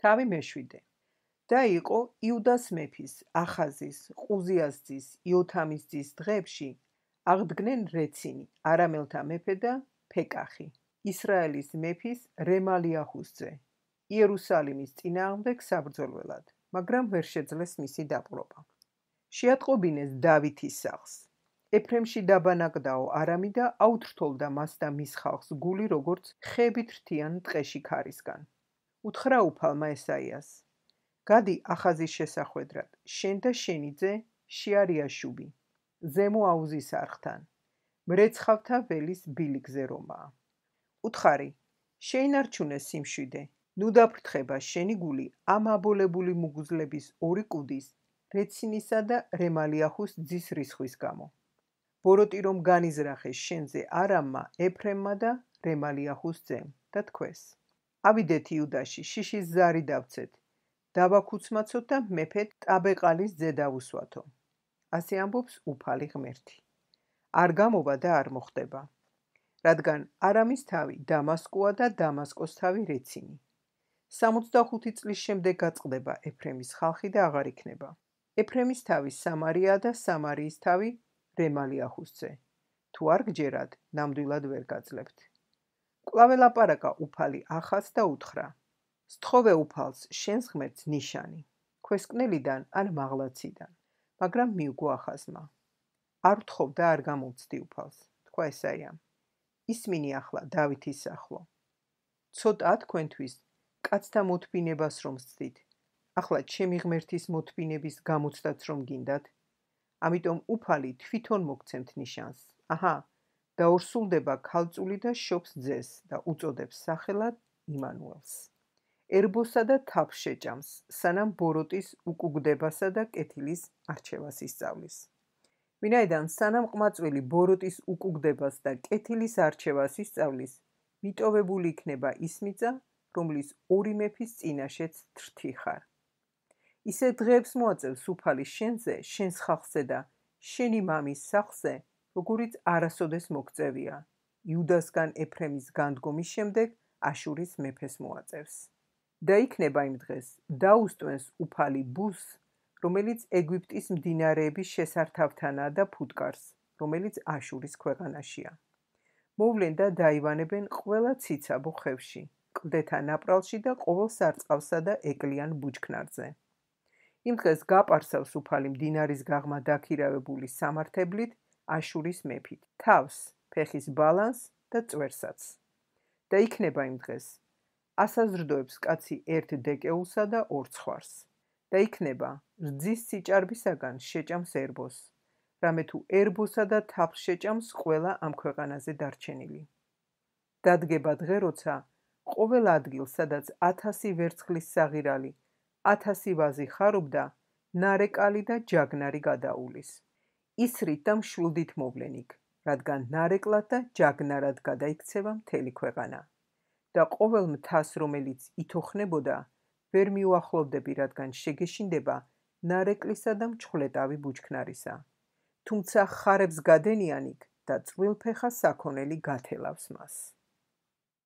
თავი მეშვიდე. და იყო იუდას მეფის, ახაზის, ყუზიას ძის, იოთამის ძის დღეებში აღდგნენ რეცინი, არამელთა მეფე და ფეკახი, ისრაელის მეფის რემალიაჰუს ძე, იერუსალიმის წინააღმდეგ საბრძოლველად, მაგრამ ვერ შეძლეს მისი დაპყრობა. შეატყობინეს დავითის სახლს. ეფრემში დაბანაკდაო არამი და აუთრთოლდა მას და მის ხალხს გული როგორც ხებით რთიან ტყეში ქარისგან. უთხრა უფალმა ესაიას: გადი ახაზის შესახვედრად, შენ და შენი ძე შეარიაშუბი, ზემო აუზის არხთან, მრეცხავთა ველის ბილიკზე რომაა. უთხარი, შეინარჩუნე სიმშვიდე, ნუ დაფრთხება შენი გული ამ აბოლებული მუგუზლების ორი კუდის, რეცინისა და რემალიაჰუს ძის რისხვის გამო. ბოროტი რომ განიზრახეს შენზე არამმა, ეფრემმა და რემალიაჰუს ძემ და თქვეს: ავიდეთ იუდაში, შიშის ზარი დავცეთ, დავაქუცმაცოთ და მეფე ტაბეყალის ძე დავუსვათო. ასე ამბობს უფალი ღმერთი. არ გამოვა და არ მოხდება. რადგან არამის თავი დამასკოა და დამასკოს თავი რეცინი. 65 წლის შემდეგ გაწყდება ეფრემის ხალხი და აღარ იქნება. ეფრემის თავი სამარია და სამარიის თავი რემალიაჰუს ძე. თუ არ გჯერად, ნამდვილად ვერ გაძლებთ. კვლავ ელაპარაკა უფალი ახაზს და უთხრა: სთხოვე უფალს, შენს ღმერთს ნიშანი, ქვესკნელიდან ან მაღლაციდან, მაგრამ მიუგო ახაზმა. არ ვთხოვ და არ გამოვცდი უფალს, თქვა ესაიამ. ისმინი ახლა დავითის სახლო. ცოტაა თქვენთვის კაცთა მოთბინებას რომ სცდით, ახლა ჩემი ღმერთის მოთბინების გამოცდაც რომ გინდათ, ამიტომ უფალი თვითონ მოგცემთ ნიშანს. აჰა, დაორსულდება ქალწული და შობს ძეს და უწოდებს სახელად იმანუელს. ერბოსა და თაფს შეჭამს, სანამ ბოროტის უკუგდებასა და კეთილის არჩევას ისწავლის. ვინაიდან სანამ ყმაწვილი ბოროტის უკუგდებას და კეთილის არჩევას ისწავლის, მიტოვებული იქნება ის მიწა, რომლის ორი მეფის წინაშეც თრთი ხარ. ისე დღეებს მოაწევს უფალი შენზე, შენს ხალხზე და შენი მამის სახლზე, როგორიც არასოდეს მოგწევია, იუდასგან ეფრემის განდგომის შემდეგ აშურის მეფეს მოაწევს. და იქნება იმ დღეს, დაუსტვენს უფალი ბუს, რომელიც ეგვიპტის მდინარეების შესართავთანაა და ფუტკარს, რომელიც აშურის ქვეყანაშია. მოვლენ და დაივანებენ ყველა ციცაბო ხევში, კლდეთა ნაპრალში და ყოველ სარწყავსა და ეკლიან ბუჩქნარზე. იმ დღეს გაპარსავს უფალი მდინარის გაღმა დაქირავებული სამართებლით აშურის მეფით, თავს, ფეხის ბალანს და წვერსაც. და იქნება იმ დღეს, ასაზრდოებს კაცი ერთ დეკეულსა და ორ ცხვარს. და იქნება, რძის სიჭარბისაგან შეჭამს ერბოს, რამე თუ ერბოსა და თაფლს შეჭამს ყველა ამ ქვეყანაზე დარჩენილი. დადგება დღე, როცა ყოველ ადგილ, სადაც 1000 ვერცხლის საღირალი, 1000 ვაზი ხარობდა, ნარეკალი და ჯაგნარი გადაულის. ისრით და მშვილდით მოვლენ იქ, რადგან ნარეკლად და ჯაგნარად გადაიქცევა მთელი ქვეყანა. და ყოველ მთას, რომელიც ითოხნებოდა, ვერ მიუახლოვდები, რადგან შეგეშინდება ნარეკლისა და მჩხვლეტავი ბუჩქნარისა. თუმცა ხარებს გადენიან იქ და წვრილფეხა საქონელი გათელავს მას.